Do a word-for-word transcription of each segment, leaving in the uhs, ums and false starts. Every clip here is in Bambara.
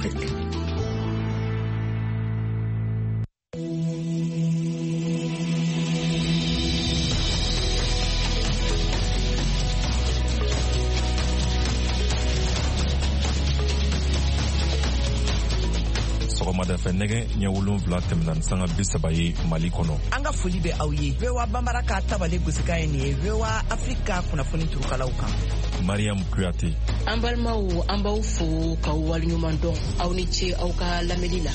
Afrique. Sɔgɔmada fɛ nɛgɛ ɲɛ wolonwula tɛmɛna ni sanga bi saba ye Mali kɔnɔ. An ka foli bɛ aw ye. V O A Banbara ka tabale gosikan ye nin ye V O A Afrique kunnafoni turukalaw kan. Mariam Kuyate. An balimaw, an b'aw fo k'aw waleɲuman dɔn. Aw ni ce aw ka lamɛnni la.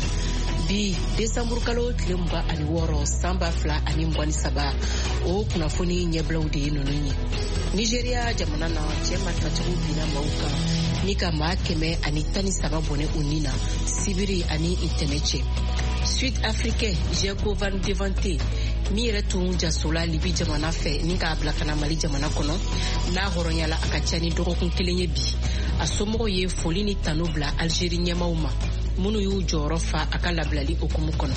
Bi desanburu kalo tile mugan ani wɔɔrɔ san ba fila ani mugan ni saba, o kunnafoni ɲɛbilaw de ye ninnu ye. Nigeriya jamana na, cɛ marifatigiw binna maaw kan ni ka maa kɛmɛ ani tan ni saba bɔnɛ u ni na sibiri ani ntɛnɛ cɛ. Sud africain Jerko van Devante, min yɛrɛ tun jasola Libi jamana fɛ ni k'a bila ka na Mali jamana kɔnɔ, n'a hɔrɔnyala a ka ca ni dɔgɔkun kelen ye bi, a somɔgɔw ye foli ni tanu bila Algérie ɲɛmaw ma minnu y'u jɔyɔrɔ fa a ka labilali hukumu kɔnɔ.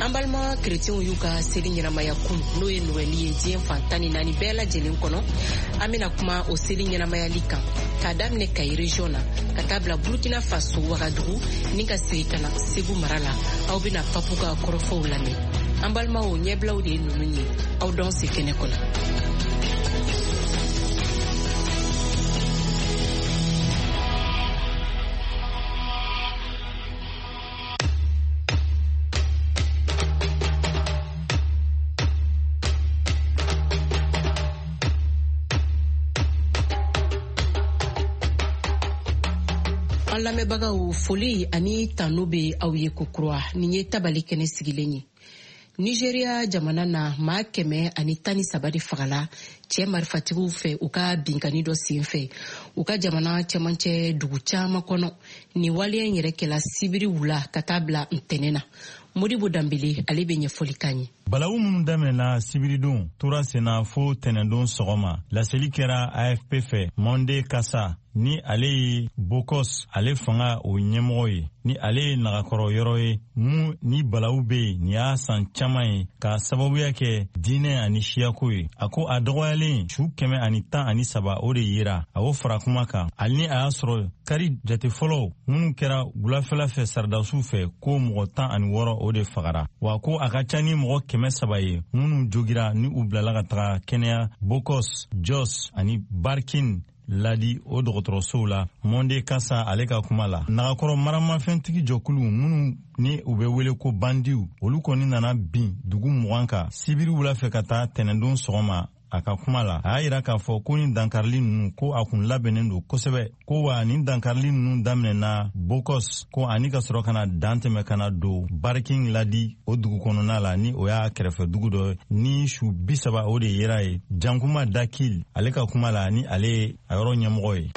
An balima kerecɛnw y'u ka seli ɲɛnamaya kun, n'o ye Nowɛli ye, diɲɛ fan tan ni naani bɛɛ lajɛlen kɔnɔ. An bena kuma o seli ɲɛnamayali kan k'a daminɛ Kayi région na ka taa bila Burkina Faso Wagadugu ni ka segi ka na Segu mara la. Aw bena papu ka kɔrɔfɔw lamɛn. An balimaw, ɲɛbilaw de ye nunu ye. Aw dɔn se kɛnɛ kɔnɔ. An lamɛnbagaw, foli ani tanu bɛ aw ye kokura. Nin ye tabali kɛnɛ sigilen ye. Nigeriya jamana na, maa kɛmɛ ani tan ni saba de fagala cɛ marifatigiw fɛ u ka binkani dɔ sen fɛ u ka jamana cɛmancɛ dugu caman kɔnɔ. Nin waleya in yɛrɛ kɛla sibiri wula ka taa bila ntɛnɛn na. Modibo Danbele, ale bɛ ɲɛfɔli k'an ye. Balawu minnu daminɛna sibiridon tora senna fo tɛnɛndon sɔgɔma, laseli kɛra A F P fɛ. Monde Kasa, ni ale ye Bokos ale fanga o ɲɛmɔgɔ ye, ni ale ye nagakɔrɔ yɔrɔ ye mun ni balawu be yen nin y'a san caaman ye k'a sababuya kɛ diinɛ ani siyako ye, a ko a dɔgɔyalen su kɛmɛ ani tan ani saba o de yera. A o fara kuma kan, hali ni a y'a sɔrɔ kari jate fɔlɔw minnu kɛra wulafɛla fɛ saradasiw fɛ, ko mɔgɔ tan ani wɔɔrɔ o de fagara, wa ko a ka ca ni mɔgɔ kɛmɛ saba ye minnu jogira ni u bilala ka taga kɛnɛya Bokos, Jos ani Barkin Ladi o dɔgɔtɔrɔsow la. Monde Kasa ale ka kuma la, nagakɔrɔ maramafɛntigi jɔkulu minnu ni u bɛ wele ko bandiw, olu kɔni nana bin dugu mugan kan sibiri wula fɛ ka taa tɛnɛndon sɔgɔma. A ka kuma la, a y'a yira k'a fɔ ko ni dankarili nunu, ko a kun labɛnnen don kosɛbɛ, ko wa nin dankarili nunu daminɛna Bokos, ko ani ka sɔrɔ ka na dan tɛmɛ ka na don Barkin Ladi o dugu kɔnɔna la, ni o y'a kɛrɛfɛ dugu dɔ, ni su bi saba o de yera ye. Jankuma Dakil ale ka kuma la, ni ale ye a yɔrɔ ɲɛmɔgɔ ye.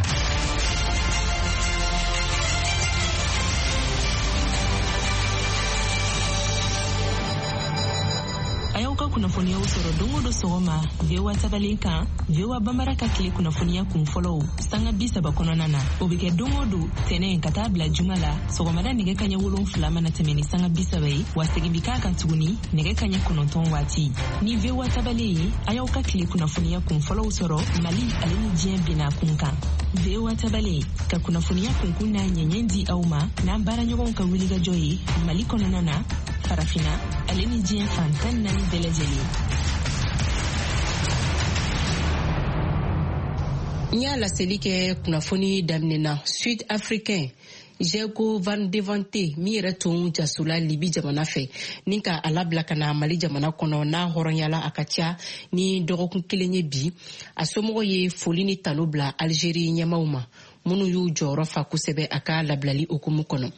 A y'aw ka kunnafoniyaw sɔrɔ don o don sɔgɔma V O A tabalen kan, V O A Banbara ka tile kunnafoniya kun fɔlɔw sanga bi saba kɔnɔna na. O bɛ kɛ don o don tɛnɛ ka taa bila juma la, sɔgɔmada nɛgɛ kaɲɛ wolonfila mana tɛmɛ ni sanga bi saba ye, wa segin bi k'a kan tuguni nɛgɛ kaɲɛ kɔnɔntɔn waati. Ni V O A tabalen ye, a y'aw ka tile kunnafoniya kun fɔlɔw sɔrɔ Mali ale ni diɲɛ bina kun kan. V O A tabalen ka kunnafoniya kunkun n'a ɲɛɲɛ di aw ma n'an baaraɲɔgɔnw ka wulikajɔ ye Mali kɔnɔna na, Farafina ale ni diɲɛ fan tan naani bɛɛ lajɛlen. N y'a laseli kɛ kunnafoni daminɛ na, Sud africain Jerko van Devante, min yɛrɛ tun jasola Libi jamana fɛ ni ka a labila ka na Mali jamana kɔnɔ, n'a hɔrɔnyala a ka ca ni dɔgɔkun kelen ye bi, a somɔgɔw ye foli ni tanu bila Algérie ɲɛmaw ma minnu y'u jɔyɔrɔ fa kosɛbɛ a ka labilali hukumu kɔnɔ.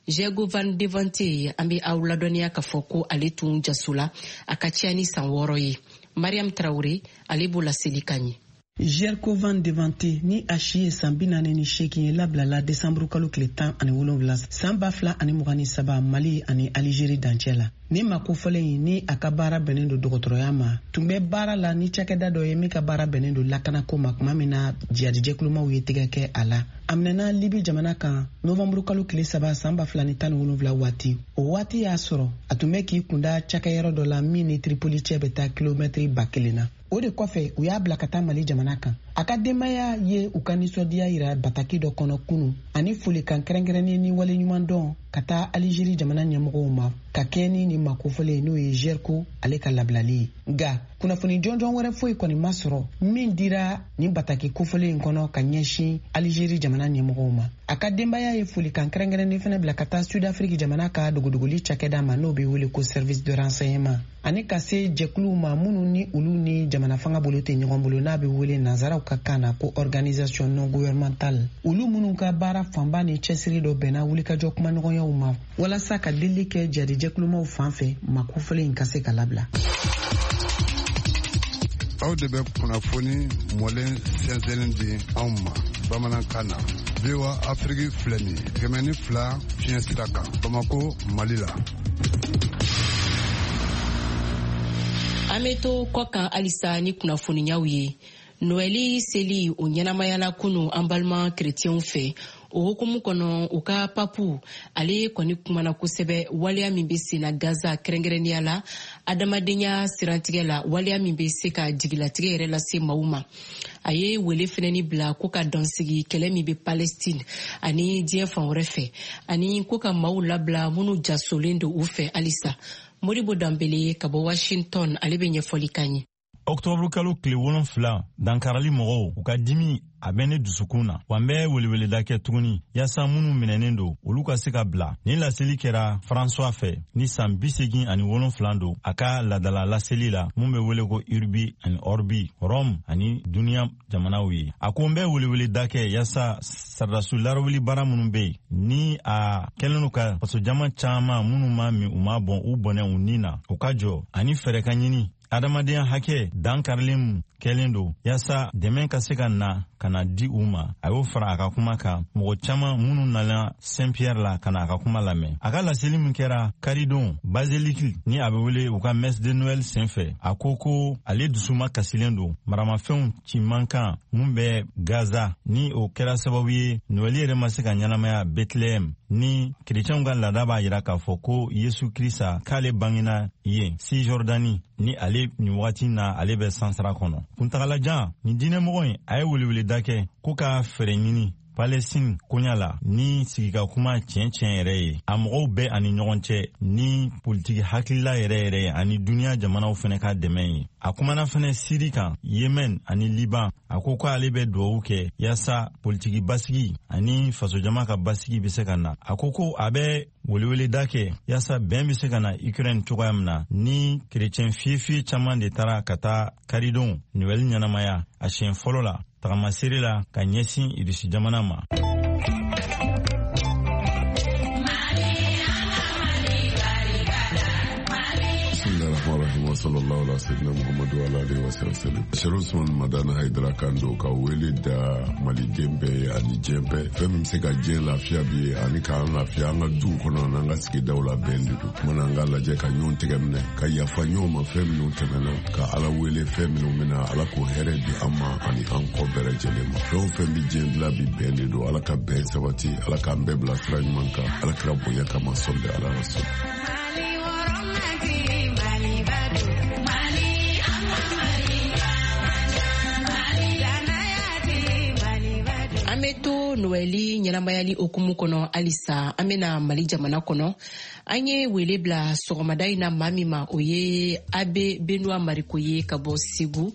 Jerko van Devante, an bɛ aw ladɔnniya k'a fɔ ko ale tun jasola a ka ca ni san wɔɔrɔ ye. Mariam Tarawure, ale b'o laseli kan ye. Jerko van Devante, ni a si ye san bi naani ni seegin ye, labilala desanburu kalo tile tan ani wolonwula san ba fila ani mugan ni saba Mali ani Alizeri dancɛ la. Ni ma kofɔlen ye, ni a ka baara bɛnnen don dɔgɔtɔrɔya ma, tun bɛ baara la ni cakɛda dɔ ye min ka baara bɛnnen don lakanako ma tuma min na jihadijɛkulumaw ye tɛgɛ kɛ a la. A minɛna Libi jamana kan novanburu kalo tile saba san ba fila ni tan ni wolonwula waati. O waati y'a sɔrɔ a tun bɛ k'i kunda cakɛyɔrɔ dɔ la min ni Tripoli cɛ bɛ taa kilomɛtiri ba kelen na. O de kɔfɛ, u y'a bila ka taa Mali jamana kan. A ka denbaya ye u ka nisɔndiya yira bataki dɔ kɔnɔ kunu ani folikan kɛrɛnkɛrɛnnen ni waleɲumandɔn ka taa Alizeri jamana ɲɛmɔgɔw ma ka kɛɲɛ ni nin makofɔlen n'o ye Zerko ale ka labilali ye. Nka kunnafoni jɔnjɔn wɛrɛ foyi kɔni ma sɔrɔ min dira nin bataki kofɔlen in kɔnɔ ka ɲɛsin Alizeri jamana ɲɛmɔgɔw ma. A ka denbaya ye folikan kɛrɛnkɛrɛnnen fana bila ka taa Sud-Afrique jamana ka dogodogoli cakɛda ma n'o bɛ wele ko service de renseignement, ani ka se jɛkuluw ma minnu ni olu ni jamana fanga bolo tɛ ɲɔgɔn bolo n'a bɛ wele nanzaraw ka kan na ko organisation non gouvernementale, olu minnu ka baara fanba ni cɛsiri dɔ bɛnna wulikajɔ kumaɲɔgɔnyaw ma walasa ka delili kɛ jadijɛkulumaw fan fɛ makofɔlen in ka se ka labila. Aw de bɛ kunnafoni mɔlen sɛnsɛnnen di anw ma bamanankan na. V O A Afrique filɛ nin ye kɛmɛ ni fila fiɲɛ sira kan Bamako, Mali la. An bɛ to kɔkan halisa ni kunnafoniyaw ye. Noɛli seli o ɲɛnamayala kunu an balima kerecɛnw fɛ. O hukumu kɔnɔ, u ka papu ale kɔni kumana kosɛbɛ waleya min bɛ senna Gaza kɛrɛnkɛrɛnnenya la adamadenya sirantigɛ la, waleya min bɛ se ka jigilatigɛ yɛrɛ lase maaw ma. A ye wele fɛnɛni bila ko ka dansigi kɛlɛ min bɛ Palestine ani diɲɛ fan wɛrɛ fɛ, ani ko ka maaw labila minnu jasolen don u fɛ halisa. Modibo Danbele ka bɔ Washington, ale bɛ ɲɛfɔli k'an ye. Octobre kalo tile wolonfila, dankarali mɔgɔw u ka dimi a bɛ ne dusukun na, wa n bɛ weleweleda kɛ tuguni yaasa minnu minɛnen don olu ka se ka bila. Nin laseli kɛra François fɛ ni san bi segin ani wolonfila don a ka ladala laseli la mun bɛ wele ko Urbi ani Orbi, Rome ani duniya jamanaw ye. A ko n bɛ weleweleda kɛ yaasa sardasiw larawuli baara minnu bɛ yen ni a kɛlen don ka fasojama caman minnu ma min u ma bɔn u bɔnɛ u ni na, u ka jɔ ani fɛɛrɛ ka ɲini adamadenya hakɛ dankarilen mun kɛlen don yaasa dɛmɛ ka se ka na ka na di u ma. A y'o fara a ka kuma kan mɔgɔ caman minnu nana Saint Pierre la ka na a ka kuma lamɛn. A ka laseli min kɛra karidon Basilique ni a bɛ wele u ka messe de Noël senfɛ, a ko ko ale dusuma kasilen don maramafɛnw ci man kan mun bɛ Gaza, ni o kɛra sababu ye Noël yɛrɛ ma se ka ɲɛnamaya Bethléem, ni kerecɛnw ka laada b'a yira k'a fɔ ko Yesu Krista k'ale bangena yen Cisjordanie, ni ale nin wagati na ale bɛ sansara kɔnɔ. Kuntagalajan nin diinɛmɔgɔ in a ye weleweleda kɛ ko ka fɛɛrɛ ɲini Palestine koɲa la ni sigika kuma tiɲɛ tiɲɛ yɛrɛ ye a mɔgɔw bɛɛ ani ɲɔgɔn cɛ, ni politiki hakilila yɛrɛ yɛrɛ ye ani duniya jamanaw fɛnɛ ka dɛmɛ ye. A kumana fɛnɛ Siri kan, Yemen ani Liban. A ko k'ale bɛ duwawu kɛ yaasa politiki basigi ani fasojama ka basigi bɛ se ka na. A ko ko a bɛ weleweleda kɛ yaasa bɛn bɛ se ka na Ukraine cogoya min na, ni kerecɛn fiyefiye caman de taara ka taa karidon Noɛl ɲɛnamaya a siɲɛ fɔlɔ la tagamasere la ka ɲɛsin Irisi jamana ma. Sallallahu alaihi wasallam Muhammadu ala alihi wasallam. Sherif Usman Madani Haidara kan don ka wele da maliden bɛɛ ye ani diɲɛ bɛɛ. Fɛn min bɛ se ka diɲɛ lafiya bi ye ani k'an lafiya an ka duw kɔnɔ n'an ka sigidaw la bɛn de don. Kumana an ka lajɛ ka ɲɔgɔn tɛgɛ minɛ ka yafa ɲɔgɔn ma fɛn minnu tɛmɛna, ka Ala wele fɛn minnu bɛna, Ala k'o hɛrɛ di an ma ani an kɔ bɛɛ lajɛlen ma. Fɛn o fɛn bɛ diɲɛ dilan bi bɛn de don. Ala ka bɛn sabati, Ala k'an bɛɛ bila sira ɲuman kan, Ala kɛra bonya kama sɔli Ala rasul. An bɛ to Noɛli ɲɛnamayali hukumu kɔnɔ halisa. An bɛna Mali jamana kɔnɔ. An ye wele bila sɔgɔmada in na maa min ma, o ye Abe Benoit Mariko ye ka bɔ Segu.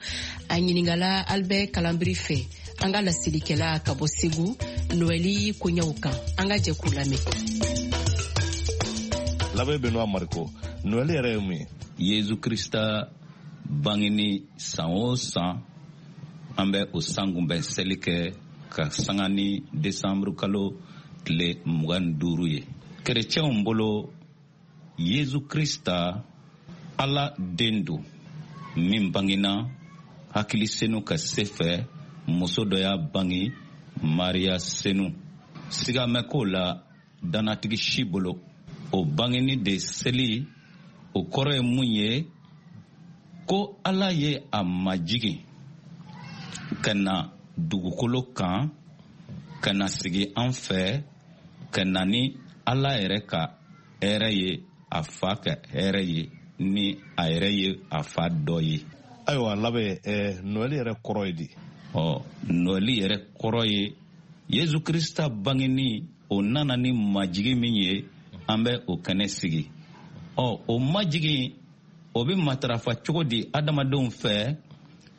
A ɲininkala Albert Kalanbiri fɛ, an ka laselikɛla ka bɔ Segu, Noɛli koɲɛw kan. An ka jɛ k'u lamɛn. L'abbé Benoit Mariko, Noɛli yɛrɛ ye mun ye? Yesu Krista bangeni san o san, an bɛ o san kunbɛn seli kɛ ka sanga ni desanburu kalo tile mugan ni duuru ye. Kerecɛnw bolo, Yesu Krista Ala den don min bangena hakili senu ka se fɛ, muso dɔ y'a bange, Mariya senu. Siga mɛ k'o la danatigi si bolo. O bangeni de seli, o kɔrɔ ye mun ye? Ko Ala ye a majigin ka na dugukolo kan, ka na sigi an fɛ, ka na ni Ala yɛrɛ ka hɛrɛ ye, a fa ka hɛrɛ ye, ni a yɛrɛ ye a fa dɔ ye. Ayiwa labɛn, eh, Noɛli yɛrɛ kɔrɔ ye di? Ɔ Noɛli yɛrɛ kɔrɔ ye Yesu Krista bangeni, o nana ni majigi min ye, an bɛ o kɛnɛ sigi. Ɔ o majigi o bɛ matarafa cogo di adamadenw fɛ?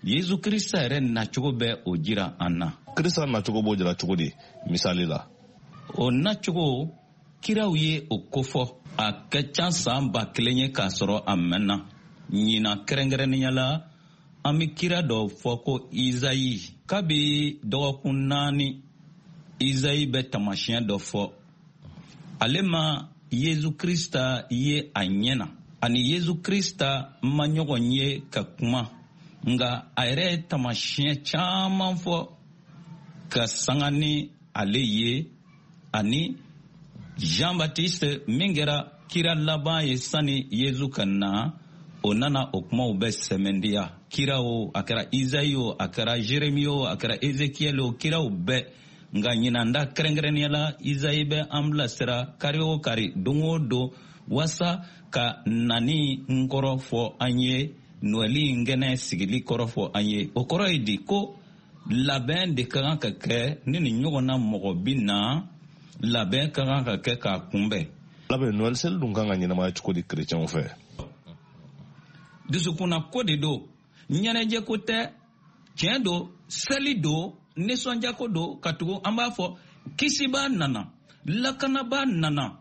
Yesu Krista yɛrɛ nacogo bɛ o jira an na. Krista nacogo b'o jira cogo di misali la? O nacogo kiraw ye o kofɔ. A ka ca san ba kelen ye k'a sɔrɔ a mɛnna. Ɲinan kɛrɛnkɛrɛnnenya la, an bɛ kira dɔ fɔ ko Izayi. Kabi dɔgɔkun naani, Izayi bɛ taamasiyɛn dɔ fɔ. Ale ma Yesu Krista ye a ɲɛ na, ani Yesu Krista ma ɲɔgɔn ye ka kuma, nka a yɛrɛ ye taamasiyɛn caman fɔ ka sanga ni ale ye, ani Jean Baptiste min kɛra kira laban ye sani Yesu ka na, o nana o kumaw bɛ sɛmɛndiya. Kira o, a kɛra Izayi o, a kɛra Jeremi o, a kɛra Ezekiel o, kiraw bɛɛ. Nka ɲinan da kɛrɛnkɛrɛnnenya la, Izayi bɛ an bilasira kari o kari, don o don, waasa ka nani n kɔrɔ fɔ an ye, Noɛli in kɛnɛ sigili kɔrɔ fɔ an ye. O kɔrɔ ye di? Ko labɛn de ka kan ka kɛ ni nin ɲɔgɔnna mɔgɔ bi na, labɛn ka kan ka kɛ k'a kunbɛn. Labɛn Noɛli seli dun kan ka ɲɛnamaya cogo di kerecɛnw fɛ? Dusukunna ko de don, ɲɛnajɛ ko tɛ. Tiɲɛ don, seli don, nisɔndiyako don, ka tugu an b'a fɔ kisibaa nana, lakanabaa nana,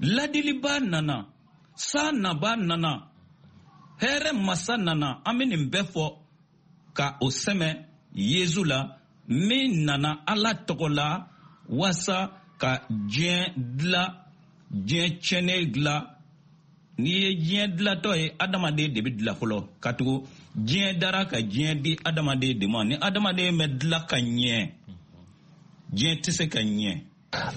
ladilibaa nana, san nabaa nana, hɛrɛ masa nana. An bɛ nin bɛɛ fɔ ka o sɛmɛ Yesu la, min nana Ala tɔgɔ la waasa ka diɲɛ dila, diɲɛ tiɲɛnen dila. N'i ye diɲɛ dilatɔ ye, adamaden de bɛ dila fɔlɔ, ka tugu diɲɛ dara ka diɲɛ di adamaden de ma. Ni adamaden bɛ dila ka ɲɛ, diɲɛ tɛ se ka ɲɛ.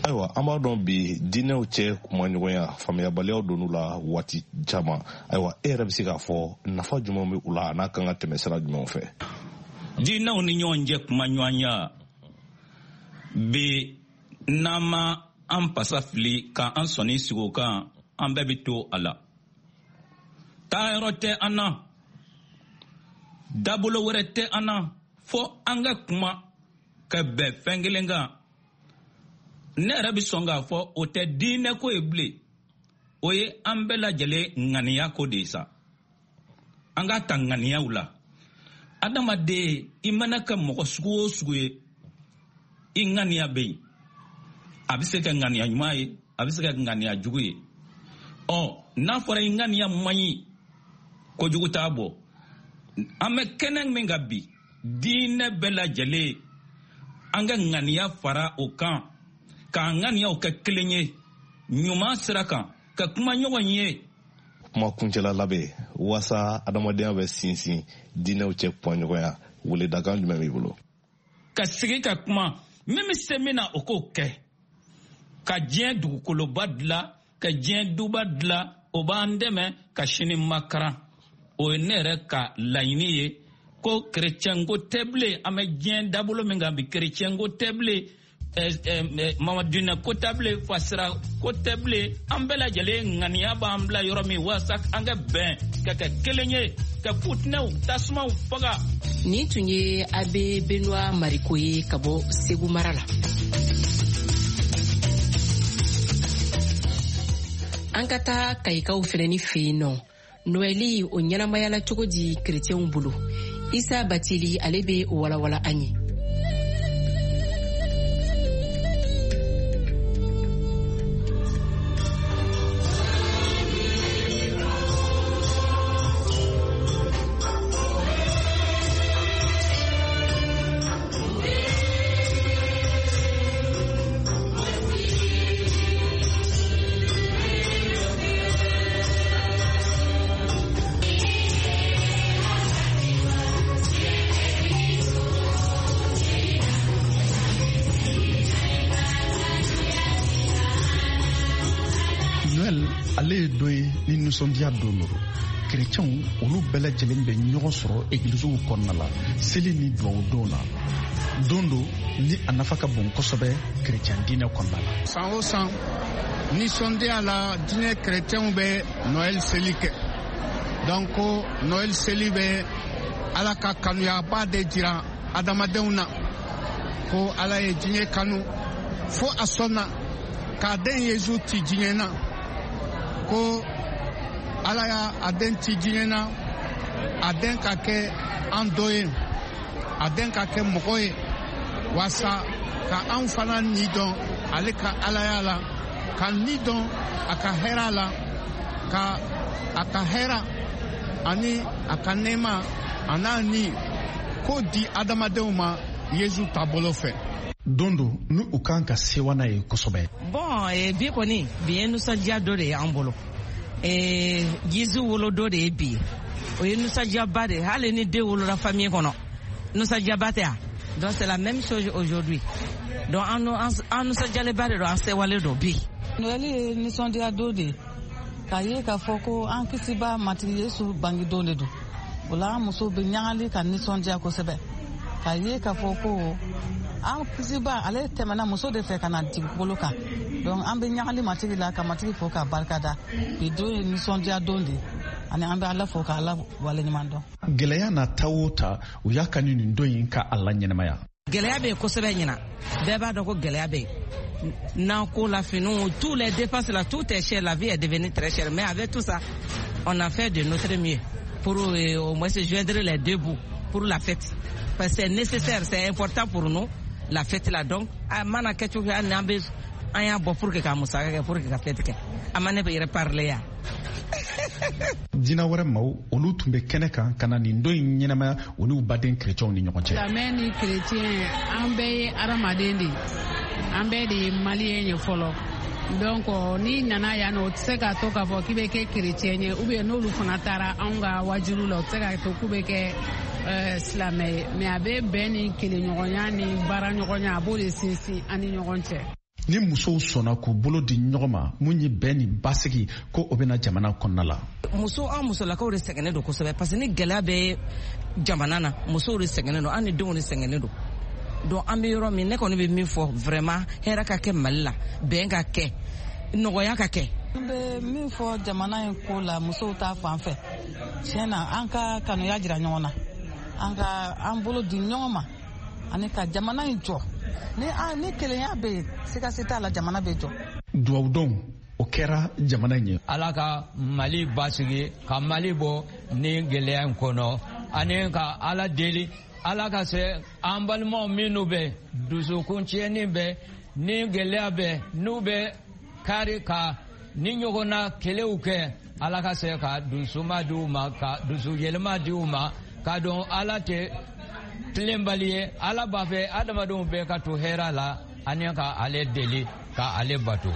Ayiwa, an b'a dɔn bi diinɛw cɛ kumaɲɔgɔnya faamuyabaliyaw donn'u la waati caman. Ayiwa, e yɛrɛ bɛ se k'a fɔ nafa jumɛn bɛ u la, a n'a kan ka tɛmɛ sira jumɛnw fɛ? Diinɛw ni ɲɔgɔn cɛ kumaɲɔgɔnya bi, n'an ma an pasa fili k'an sɔnni sigi o kan, an bɛɛ bɛ to a la. Taayɔrɔ tɛ an na, dabolo wɛrɛ tɛ an na, fo an ka kuma ka bɛn fɛn kelen kan. Ne yɛrɛ bɛ sɔn k'a fɔ o tɛ diinɛ ko ye bilen, o ye an bɛɛ lajɛlen ŋaniya ko de ye sa. An k'a ta ŋaniyaw la. Adamaden, i mana kɛ mɔgɔ sugu o sugu ye, i ŋaniya bɛ yen. A bɛ se ka ŋaniya ɲuman ye, a bɛ se ka ŋaniya jugu ye. Ɔ n'a fɔra i ŋaniya man ɲi, kojugu t'a bɔ. An bɛ kɛnɛ min kan bi, diinɛ bɛɛ lajɛlen, an ka ŋaniya fara o kan, k'an ŋaniyaw kɛ kelen ye ɲuman sira kan, ka kuma ɲɔgɔn ye. Kuma kuncɛla labɛn waasa adamadenya bɛ sinsin diinɛw cɛ kumaɲɔgɔnya, weledakan jumɛn b'i bolo? Ka sigi ka kuma, min bɛ se min na o k'o kɛ, ka diɲɛ dugukoloba dilan, ka diɲɛ duba dilan, o b'an dɛmɛ ka sini makaran. O ye ne yɛrɛ ka laɲini ye, ko kerecɛnko tɛ bilen. An bɛ diɲɛ dabolo min kan bi, kerecɛnko tɛ bilen, mamadinɛ ko tɛ bilen, fasira ko tɛ bilen. An bɛɛ lajɛlen ŋaniya b'an bila yɔrɔ min waasa an ka bɛn, ka kɛ kelen ye, ka futinɛw tasumaw faga. Nin tun ye Abe Benoit Mariko ye ka bɔ Segu mara la. An ka taa Kayikaw fɛnɛni fɛ yen nɔ. Noɛli o ɲɛnamayala cogo di kerecɛnw bolo? Isa Batili ale bɛ o walawala an ye. Ale ye dɔ ye ni nisɔndiya don don. Kerecɛnw olu bɛɛ lajɛlen bɛ ɲɔgɔn sɔrɔ egiliziw kɔnɔna la seli ni duwawu don na. Don don ni a nafa ka bon kosɛbɛ kerecɛn diinɛ kɔnɔna la. San o san nisɔndiya la, diinɛ kerecɛnw bɛ Noël seli kɛ. Donc Noël seli bɛ Ala ka kanuyaba de jira adamadenw na. Ko Ala ye diɲɛ kanu fo a sɔnna k'a den Yezu ci diɲɛ na. Ko Ala y'a a den ci diɲɛ na, a den ka kɛ an dɔ ye, a den ka kɛ mɔgɔ ye, waasa ka an fana ni dɔn ale ka Alaya la, ka ni dɔn a ka hɛrɛ la, ka a ka hɛrɛ ani a ka nɛɛma a n'a ni k'o di adamadenw ma Yezu taabolo fɛ. Don don ni u kan ka sewa n'a ye kosɛbɛ. Bon, eh, bi kɔni bi ye nisɔndiya dɔ de ye an bolo. Eh, Yezu wolo dɔ de ye bi ye. O ye nisɔndiyaba de ye. Hali ni den wolola famille kɔnɔ, nisɔndiyaba tɛ yan. Donc c'est la même chose aujourd'hui. Donc an an nisɔndiyalenba de don, an sewalen don bi. Noël ye nisɔndiya don de ye. K'a ye k'a fɔ ko an kisiba Matigi Yesu bangedon de don. O la an musow bɛ ɲagali ka nisɔndiya kosɛbɛ. K'a ye k'a fɔ ko an kisiba ale tɛmɛna muso de fɛ ka na dugukolo kan. Donc an bɛ ɲagali Matigi la ka Matigi fo k'a barika da. Bi don ye nisɔndiya don de ye. Ani an bɛ Ala fo ka Ala waleɲuman dɔn. Gɛlɛya na ta o ta, u y'a kanu nin don in ka a la ɲɛnamaya. Gɛlɛya bɛ yen kosɛbɛ ɲina. Bɛɛ b'a dɔn ko gɛlɛya bɛ yen. N'an ko la finiw, tous les dépenses là, tout est cher, la vie est devenue très chère. Mais avec tout ça, on a fait de notre mieux pour euh, au moins se joindre les deux bouts pour la fête. Parce que c'est nécessaire, c'est important pour nous, la fête là. Donc, a mana kɛ cogo hali n'an bɛ an y'a bɔ pour que ka musaka kɛ, pour que ka fête kɛ. A ma ne bɛ yɛrɛ parler yan. Diinɛ wɛrɛ maaw olu tun bɛ kɛnɛ kan ka na nin don in ɲɛnamaya u n'u baden kerecɛnw ni ɲɔgɔn cɛ. Silamɛ ni kerecɛn, an bɛɛ ye adamaden de ye, an bɛɛ de ye maliyɛn ye fɔlɔ. Donc n'i nana yan nɔ, o tɛ se k'a to k'a fɔ k'i bɛ kɛ kerecɛn ye, ou bien n'olu fana taara anw ka wajulu la, o tɛ se k'a to k'u bɛ kɛ silamɛ ye. Mais a bɛ bɛn ni kelenɲɔgɔnya ni baaraɲɔgɔnya, a b'o de sinsin an ni ɲɔgɔn cɛ. Ni musow sɔnna k'u bolo di ɲɔgɔn ma, mun ye bɛn ni basigi ko o bɛna jamana kɔnɔna la. Muso, an musolakaw de sɛgɛnnen don kosɛbɛ, parce que ni gɛlɛya bɛ jamana na, musow de sɛgɛnnen don, an ni denw de sɛgɛnnen don. Donc an bɛ yɔrɔ min, ne kɔni bɛ min fɔ vraiment, hɛrɛ ka kɛ Mali la, bɛn ka kɛ, nɔgɔya ka kɛ. N bɛ min fɔ jamana in ko la, musow ta fan fɛ, tiɲɛ na an ka kanuya jira ɲɔgɔn na, an ka an bolo di ɲɔgɔn ma ani ka jamana in jɔ. Ni an ni kelenya bɛ yen, sigasi t'a la, jamana bɛ jɔ. Duwawudon o kɛra jamana in ye. Ala ka Mali basigi, ka Mali bɔ ni gɛlɛya in kɔnɔ, ani ka Ala deli, Ala ka se an balimaw minnu bɛ dusukun tiɲɛni bɛ ni gɛlɛya bɛ n'u bɛ kari ka ni ɲɔgɔnna kɛlɛw kɛ, Ala ka se ka dusuma di u ma, ka dusu yɛlɛma di u ma, k'a dɔn Ala tɛ tilenbali ye. Ala b'a fɛ adamadenw bɛɛ ka to hɛrɛ la, ani ka ale deli ka ale bato.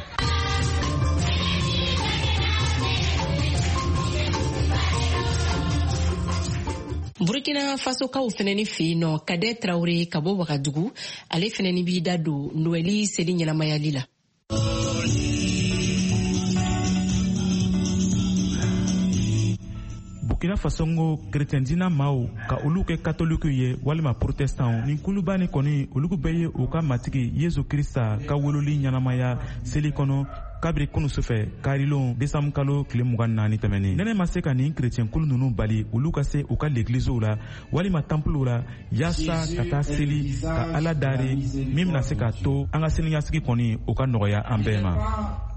Burkina Fasokaw fɛnɛni fɛ yen nɔ, Kadɛ Traoré ka bɔ Wagadugu, ale fɛnɛni b'i da don Noɛli seli ɲɛnamayali la. Burkina Faso ko kerecɛn diinɛ maaw ka olu kɛ katolikiw ye walima protestantw, nin kuluba ni kɔni olu bɛɛ ye u ka matigi Yesu Krista ka wololi ɲɛnamaya seli kɔnɔ kabiri kunu sufɛ karilon desanburu kalo tile mugan naani tɛmɛnen. Nɛnɛ ma se ka nin kerecɛn kulu ninnu bali olu ka se u ka legiliziw la walima tanpuluw la yaasa ka taa seli ka Ala dari, min bɛna se k'a to an ka siniɲɛsigi kɔni o ka nɔgɔya an bɛɛ ma.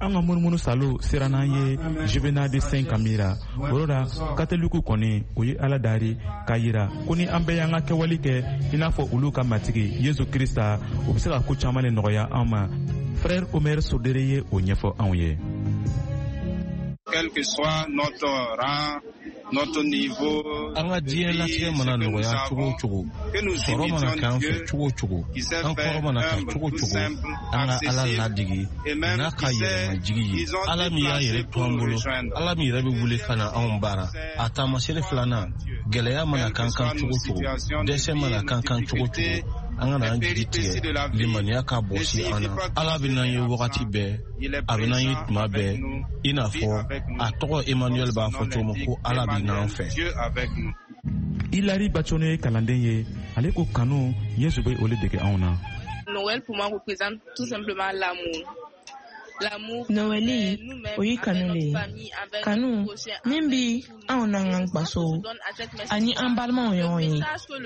An ka munumunu salo sera n'an ye Juvenal de Saint Camira. O yɔrɔ la katolikiw kɔni o ye Ala dari k'a yira ko ni an bɛɛ y'an ka kɛwale kɛ i n'a fɔ olu ka matigi Yesu Krista, o bɛ se ka ko caman de nɔgɔya an ma. Frère Omer Sodere ye o ɲɛfɔ anw ye. Quel que soit notre rang, notre niveau, an ka diɲɛlatigɛ mana nɔgɔya cogo o cogo, sɔrɔ mana k'an fɛ cogo o cogo, an kɔrɔ mana ta cogo o cogo, an ka Ala ladege n'a ka yɛrɛmajigi ye. Ala min y'a yɛrɛ to an bolo, Ala min yɛrɛ bɛ wuli ka na anw baara. A taamasere filanan, gɛlɛya mana k'an kan cogo o cogo, dɛsɛ mana k'an kan cogo o cogo, an kana an jigi tigɛ, limaniya ka bɔsi an na. Ala bɛ n'an ye wagati bɛɛ, a bɛ n'an ye tuma bɛɛ, i n'a fɔ a tɔgɔ Emmanuel b'a fɔ cogo min ko Ala bɛ n'an fɛ. Hilary Bachono ye kalanden ye, ale ko kanu Yesu bɛ o le dege anw na. Noël pour moi représente tout simplement l'amour. Nowɛli, o ye kanu le ye. Kanu min bi anw n'an ka gwasow ani an balimaw ɲɔgɔn ye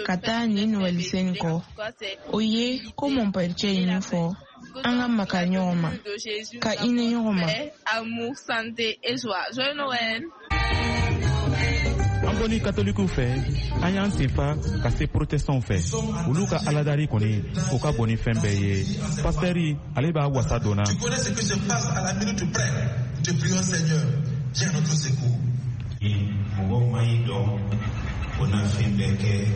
ka taa nin Nowɛli sen kɔ. O ye ko mɔnpɛricɛ ye min fɔ, an ka makari ɲɔgɔn ma, ka hinɛ ɲɔgɔn ma. Amour, santé et joie. Joyeux Noël. An bɔni katolikiw fɛ, an y'an senfa ka se protestantw fɛ. Olu ka aladari kɔni, o ka bon ni fɛn bɛɛ ye. Pastɛri ale b'a wasa donna. Tu connais ce que se passe à la minute près. Te prions Seigneur, viens à notre secours. Mɔgɔw ma y'i dɔn, o na fɛn bɛɛ kɛ,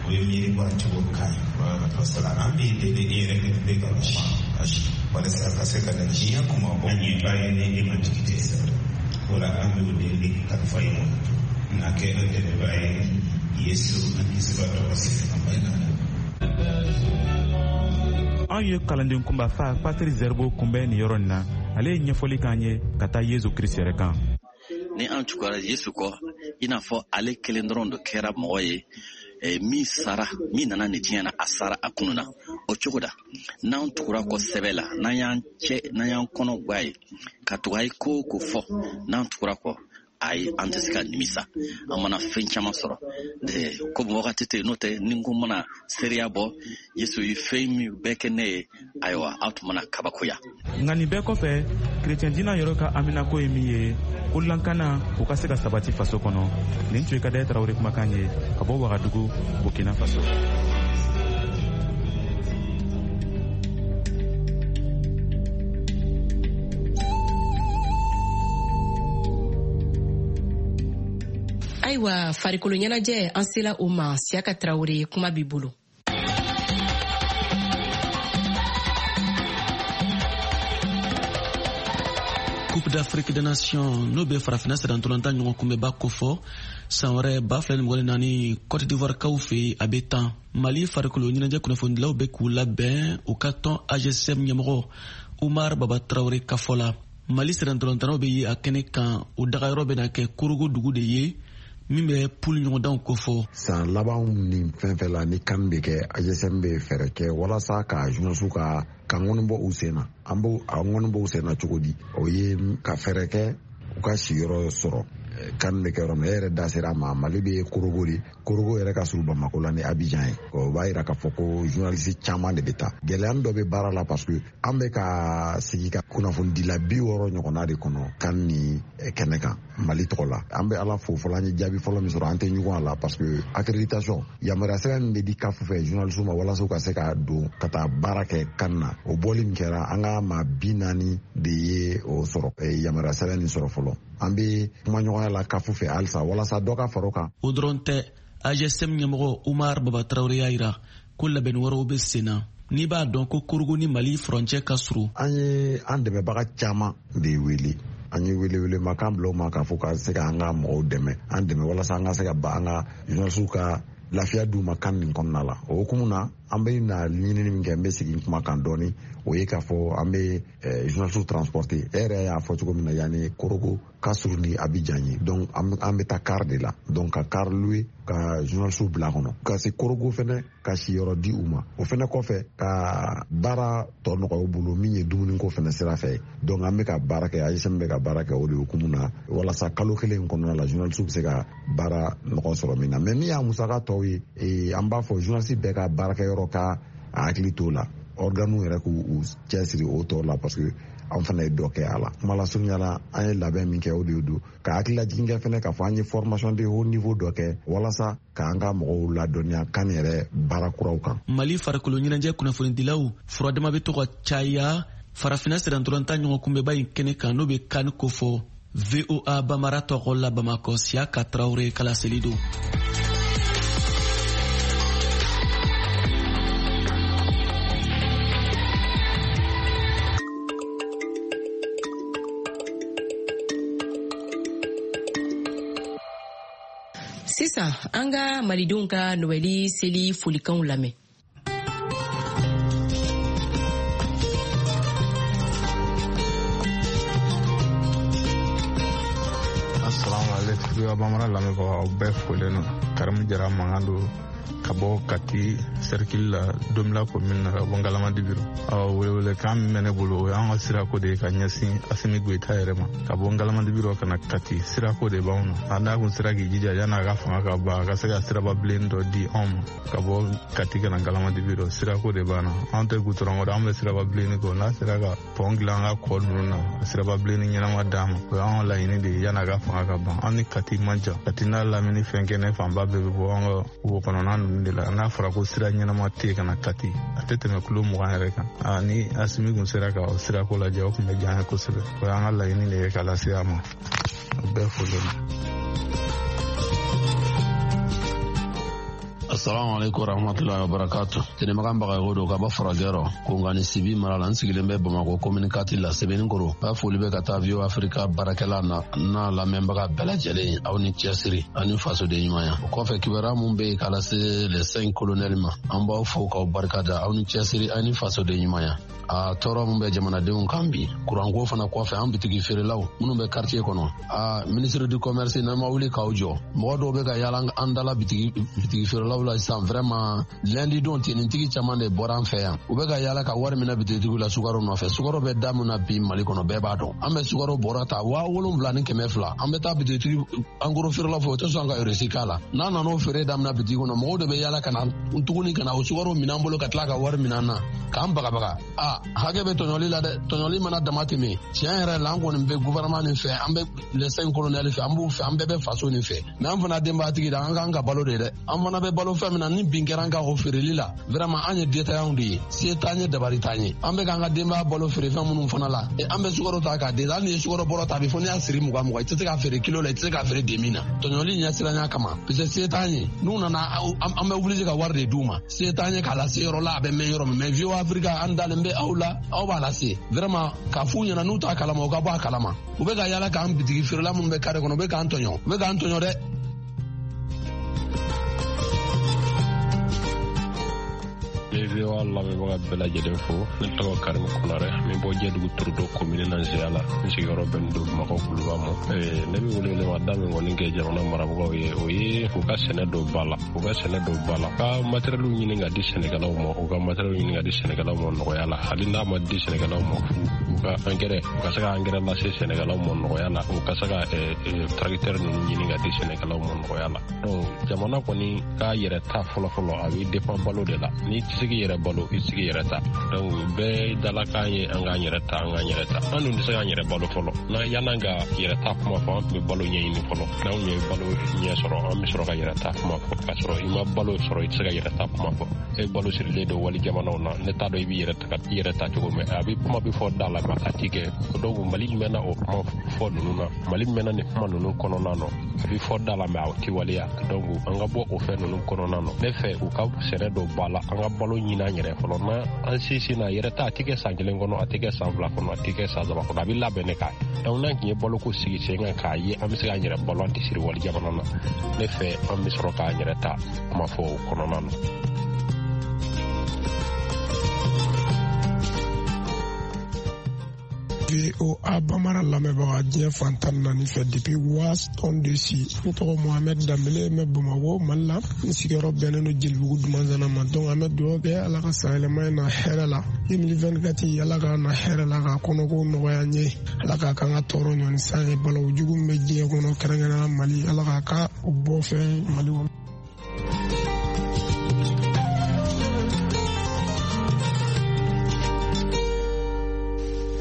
o ye miiri bɔ cogo ka ɲi. Parce que an b'i deli i yɛrɛ bɛ ka kuma walasa ka se ka na diɲɛ kuma bɔ an ye ba ye ni e ma jigi tɛ. O la an b'o deli kalifa i ma n'a kɛ an dɛmɛbaa ye Yesu an Kisiba tɔgɔ se an bɛɛ na. An ye kalanden kunba fa Patri Zerbo kunbɛn nin yɔrɔ nin na. Ale ye ɲɛfɔli k'an ye ka taa Yesu Kirisi yɛrɛ kan. Ni an tugura Yesu kɔ, i n'a fɔ ale kelen dɔrɔn de kɛra mɔgɔ ye min sara, min nana nin diɲɛ na, a sara a kununa. O cogo da, n'an tugura kɔ sɛbɛ la, n'an y'an cɛ, n'an y'an kɔnɔ gwa ye ka tugu a ye ko o ko fɔ, n'an tugura kɔ, ayi, an tɛ se ka nimisa. An mana fɛn caman sɔrɔ komi wagati tɛ yen, n'o tɛ ni n ko mana seereya bɔ Yesu ye fɛn min bɛɛ kɛ ne ye, ayiwa, aw tun mana kabakoya. Nka nin bɛɛ kɔfɛ, kerecɛn diinɛ yɛrɛ ka haminako ye min ye, ko lankana o ka se ka sabati faso kɔnɔ. Nin tun ye Kadaya Tarawele kumakan ye ka bɔ Wagadugu, Burkina Faso. Ayiwa, farikolo ɲɛnajɛ, an sela o ma. Siyaka Tarawele, kuma b'i bolo. Coupe d'Afrique des Nations, n'o bɛ farafinna sirantolatan ɲɔgɔn kunbɛnba kofɔ san wɛrɛ ba fila ni mugan ni naani Cote d'Ivoire kaw fɛ yen, a bɛ tan. Mali farikolo ɲɛnajɛ kunnafonidilaw bɛ k'u labɛn u ka tɔn A G S M ɲɛmɔgɔ Umar Baba Tarawele ka fɔ la. Mali sirantolatannaw bɛ ye a kɛnɛ kan, o dagayɔrɔ bɛna kɛ Korogo dugu de ye min bɛ poule ɲɔgɔndanw kofɔ. San labanw ni fɛn fɛn la ni kan bɛ kɛ, A G S M bɛ fɛɛrɛ kɛ walasa ka journaliste ka ka ŋɔni bɔ u sen na. An b'o a ŋɔni bɔ u sen na cogo di? O ye ka fɛɛrɛ kɛ u ka sigiyɔrɔ sɔrɔ kan bɛ kɛ yɔrɔ min. E yɛrɛ da sera a ma, Mali bɛ Korogo de. Korogo yɛrɛ ka surun Bamako la ni Abidjan ye. O b'a yira k'a fɔ ko journaliste caman de bɛ taa. Gɛlɛya dɔ bɛ baara la parce que an bɛ ka sigi ka kunnafonidila bi wɔɔrɔ ɲɔgɔnna de kɔnɔ kan ni kɛnɛ kan Mali tɔgɔ la. An bɛ Ala fo fɔlɔ, an ye jaabi fɔlɔ min sɔrɔ, an tɛ ɲugun a la parce que accréditation, yamaruya sɛbɛn min bɛ di CAF fɛ journaliste ma walasa u ka se ka don ka taa baara kɛ kan na, o bɔli min kɛra, an ka maa bi naani de ye o sɔrɔ, yamaruya sɛbɛn nin sɔrɔ fɔlɔ. An bɛ kumaɲɔgɔnya la CAF fɛ halisa walasa dɔ ka fara o kan. O dɔrɔn tɛ, A G S M ɲɛmɔgɔ Umar Baba Tarawele y'a yira ko labɛnni wɛrɛw bɛ sen na. N'i b'a dɔn ko Korogo ni Mali furancɛ ka surun. An ye an dɛmɛbaga caman de wele. An ye welewelemakan bila u ma k'a fɔ ka se k'an ka mɔgɔw dɛmɛ, an dɛmɛ walasa an ka se ka ba an ka journaliste ka lafiya d'u ma kan nin kɔnɔna la. O hukumu na, an bɛ na ɲinini min kɛ, n bɛ segin kuma kan dɔɔni, o ye k'a fɔ an bɛ journaliste transporter. E yɛrɛ y'a fɔ cogo min na, yanni Korogo ka surun ni Abidjan ye, donc an bɛ taa car de la, donc ka car louer ka journaliste bila kɔnɔ ka se Korogo fɛnɛ, ka siyɔrɔ di u ma. O fɛnɛ kɔfɛ, ka baara tɔ nɔgɔya u bolo min ye dumuniko fɛnɛ sira fɛ. Donc an bɛ ka baara kɛ, A G S M bɛ ka baara kɛ o de hukumu na walasa kalo kelen kɔnɔna la journaliste bɛ se ka baara nɔgɔ sɔrɔ min na. Mais min y'a musaka tɔw ye, an b'a fɔ journaliste bɛɛ ka baarakɛyɔrɔ ka a hakili t'o la, organes yɛrɛ k'u cɛsiri o tɔ la parce que an fana ye dɔ kɛ a la. Kuma lasurunya la, an ye labɛn min kɛ o de don ka hakililajigin kɛ fɛnɛ k'a fɔ an ye formation de haut niveau dɔ kɛ walasa k'an ka mɔgɔw ladɔnniya kan yɛrɛ baara kuraw kan. Mali farikolo ɲɛnajɛ kunnafonidilaw furadama bɛ to ka caya farafinna sirantolatan ɲɔgɔn kunbɛnba in kɛnɛ kan, n'o bɛ kan kofɔ. V O A Bamara tɔgɔ la Bamakɔ, Siyaka Tarawele kalaseli don. Sisan an ka malidenw ka Nowɛli seli folikanw lamɛn. Assalamu alaikum. V O A Bamara lamɛnbagaw, aw bɛɛ folen don. Karimu Jara mankan don ka bɔ Kati cercle la Domila commune na ka bɔ Ngalamadibi rɔ. Awɔ, welewelekan min bɛ ne bolo, o y'an ka sirako de ye ka ɲɛsin Asimi Goyita yɛrɛ ma. Ka bɔ Ngalamadibi rɔ ka na Kati, sirako de b'anw na. A n'a kun sera k'i jija yan'a ka fanga ka ban, a ka se ka siraba bilen dɔ di anw ma ka bɔ Kati ka na Ngalamadibi rɔ, sirako de b'an na. Anw tɛ gutɔrɔn kɔrɔ, an bɛ siraba bilenni kɔ. N'a sera ka pɔn dilan an ka kɔ ninnu na, siraba bilenni ɲɛnama d'an ma, o y'an ka laɲini de ye yan'a ka fanga ka ban. An ni Kati man jan, Kati n'a lamini fɛn kɛnɛ fanba bɛɛ bɛ bɔ an ka wo kɔnɔna ninnu de la. N'a fɔra ko sira ɲɛnama tɛ yen ka na Kati, a tɛ tɛmɛ kulo mugan yɛrɛ kan. A ni Asimi kun sera ka o sirako lajɛ, o tun bɛ diya an ye kosɛbɛ. O y'an ka laɲini de ye k'a lase a ma. O bɛɛ folen don. Assalamu alaikum warahmatullahi wabarakatuh. Tenemakan Bagayogo don ka bɔ Farajɛrɔ, Kongani Sibi mara la. N sigilen bɛ Bamakɔ commune quatre la, Sɛbɛnnikɔrɔ. N ka foli bɛ ka taa V O A Africa baarakɛla na n'a lamɛnbaga bɛɛ lajɛlen, aw ni cɛsiri ani fasoden ɲumanya. O kɔfɛ, kibaruya mun bɛ yen k'a lase les cinq colonels ma, an b'aw fo k'aw barika da, aw ni cɛsiri ani fasoden ɲumanya. A tɔɔrɔ mun bɛ jamanadenw kan bi, kuranko fana kɔfɛ, an bitigi feerelaw minnu bɛ quartier kɔnɔ, a ministre du commerce n'an ma wuli k'aw jɔ, mɔgɔ dɔw bɛ ka yaala an dala bitigi bitigi feerelaw la sisan. Vraiment, lundi don tenitigi caman de bɔra an fɛ yan, u bɛ ka yaala ka wari minɛ bitigitigiw la sukaro nɔfɛ. Sukaro bɛ da mun na bi Mali kɔnɔ, bɛɛ b'a dɔn. An bɛ sukaro bɔra ta waa wolonwula ni kɛmɛ fila, an bɛ taa bitigitigi en gros feerelaw fɛ, o tɛ sɔn ka reçu k'a la. N'a nana o feere daminɛ bitigi kɔnɔ, mɔgɔw de bɛ yaala ka na tuguni ka na o sukaro minɛ an bolo ka tila ka wari minɛ an na k'an bagabaga. A hakɛ bɛ tɔɲɔli la dɛ, tɔɲɔli mana dama tɛmɛ. Tiɲɛ yɛrɛ la, an kɔni bɛ gouvernement nin fɛ, an bɛ les cinq colonels fɛ, an b'u fɛ, an bɛɛ bɛ faso nin fɛ. Mais an fana denbayatigi da, an k'an ka balo de dɛ. An fana bɛ balo fɛn min na, ni bin kɛra an ka o feereli la, vraiment an ye détaillants de ye, se t'an ye, dabari t'an ye. An bɛ k'an ka denbaya balo feere fɛn minnu fana la, an bɛ sukaro ta k'a di. Hali ni ye sukaro bɔrɔ ta, a bɛ fɔ n'i y'a siri mugan mugan, i tɛ se k'a feere kilo la, i tɛ se k'a feere demi na. Tɔɲɔli ɲɛsiranya kama, parce que se t'an ye. N'u nana, an bɛ obligé ka wari de d'u ma. Se t'an ye k'a lase yɔrɔ la, a bɛ mɛn yɔrɔ min. Mais V O A Africa, an dalen bɛ aw la, aw b'a lase. Vraiment, k'a f'u ɲɛna n'u t'a kalama, u ka bɔ a kalama. U bɛ ka yaala k'an bitigi feerela minnu bɛ kare kɔnɔ, u bɛ k'an tɔɲɔ, u bɛ k'an tɔɲɔ dɛ. V O A lamɛnbaga bɛɛ lajɛlen fo. Ne tɔgɔ Karim Konare, n bɛ bɔ Jɛdugu Turudo commune na Nzeya la. N sigiyɔrɔ bɛnnen don Bamakɔ Kuluba ma. Ne bɛ welewelema min kɔni kɛ jamana marabagaw ye, o ye u ka sɛnɛ don ba la, u ka sɛnɛ don ba la, ka matériel ɲini ka di sɛnɛkɛlaw ma, u ka matériel ɲini ka di sɛnɛkɛlaw ma nɔgɔya la. Hali n'a ma di sɛnɛkɛlaw ma fu, u ka engrais, u ka se ka engrais lase sɛnɛkɛlaw ma nɔgɔya la, u ka se ka tracteur ninnu ɲini ka di sɛnɛkɛlaw ma nɔgɔya la. Donc jamana kɔni k'a yɛrɛ ta fɔlɔ-fɔlɔ, a bɛ dépend balo de la. N'i tɛ se k'i yɛrɛ balo, i tɛ se k'i yɛrɛ ta. Donc bɛɛ dalakan ye an k'an yɛrɛ ta, an k'an yɛrɛ ta. An dun tɛ se k'an yɛrɛ balo fɔlɔ. N'a yan'an ka yɛrɛ ta kuma fɔ, an tun bɛ balo ɲɛɲini fɔlɔ. N'anw ye balo ɲɛ sɔrɔ, an bɛ sɔrɔ ka yɛrɛ ta kuma fɔ. K'a sɔrɔ i ma balo sɔrɔ, i tɛ se ka yɛrɛ ta kuma fɔ. E balo sirilen don wali jamanaw na, ne t'a dɔn i b'i yɛrɛ ta i yɛrɛ ta cogo min. A bɛ kuma bɛ fɔ da la, a ti kɛ. Donc Mali mɛnna o kuma fɔ ninnu na, Mali mɛnna nin kuma ninnu kɔnɔna na. A bɛ fɔ da la, mais a ti waleya. Donc an ka bɔ o fɛn ninnu kɔnɔna na. Ne fɛ u ka sɛnɛ dɔ ba la, an ka balo ɲini an yɛrɛ fɔlɔ. Na an sinsin na yɛrɛ ta, a ti kɛ san kelen kɔnɔ, a ti kɛ san fila kɔnɔ, a ti kɛ san saba kɔnɔ, a bɛ labɛn ne k'a ye. Donc n'an tun ye baloko sigi sen kan k'a ye an bɛ se k'an yɛrɛ balo, an tɛ siri wali jamana na. Ne fɛ an bɛ sɔrɔ k'an yɛrɛ ta kuma fɔ o kɔnɔna na. V O A Bamara lamɛnbaga diɲɛ fan tan ni naani fɛ depuis Washington D C. Ne tɔgɔ Mohamed Danbele, n bɛ Bamakɔ Mali la. N sigiyɔrɔ bɛnnen don Jelibugu Dumanzana ma. Donc an bɛ dugawu kɛ Ala ka san yɛlɛma in na hɛrɛ la. deux mille vingt-quatre Ala k'a na hɛrɛ la, k'a kɔnɔko nɔgɔya n ye. Ala k'a k'an ka tɔɔrɔ ɲɔni san ye. Balawu jugu min bɛ diɲɛ kɔnɔ, kɛrɛnkɛrɛnnenya Mali, Ala k'a ka o bɔ fɛn Mali kɔnɔ.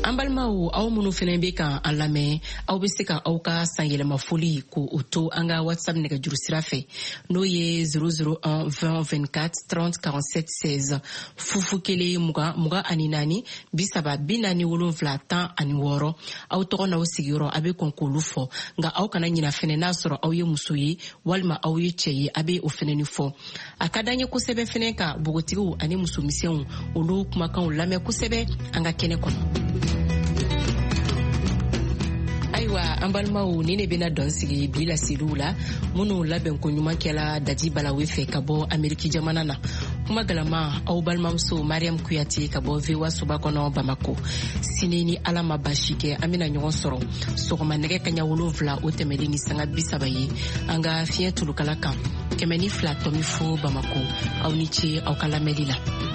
An balimaw, aw minnu fɛnɛ bɛ kan an lamɛn, aw bɛ se ka aw ka sanyɛlɛmafoli ko o to an ka WhatsApp nɛgɛjuru sira fɛ, n'o ye zéro zéro un vingt vingt-quatre trente quarante-sept seize, fufu kelen mugan mugan ani naani bi saba bi naani wolonfila tan ani wɔɔrɔ. Aw tɔgɔ n'aw sigiyɔrɔ a bɛ kɔn k'olu fɔ, nka aw kana ɲina fɛnɛ n'a sɔrɔ aw ye muso ye walima aw ye cɛ ye, a bɛ o fɛnɛ ni fɔ. A ka d'an ye kosɛbɛ fɛnɛ ka npogotigiw ani musomisɛnw olu kumakanw lamɛn kosɛbɛ an ka kɛnɛ kɔnɔ. Ayiwa an balimaw, ni ne bɛna dɔn sigi bi laseliw la minnu labɛn ko ɲuman kɛla Dadi Balawe fɛ ka bɔ Ameriki jamana na. Kuma galama aw balimamuso Mariam Kuyate ka bɔ V O A soba kɔnɔ Bamako. Sini ni Ala ma basi kɛ, an bɛna ɲɔgɔn sɔrɔ sɔgɔma nɛgɛ kaɲa wolonfila o tɛmɛlen ni sanga bi saba ye an ka fiɲɛ tulukala kan kɛmɛ ni fila tɔmi fo Bamako. Aw ni ce aw ka lamɛnli la.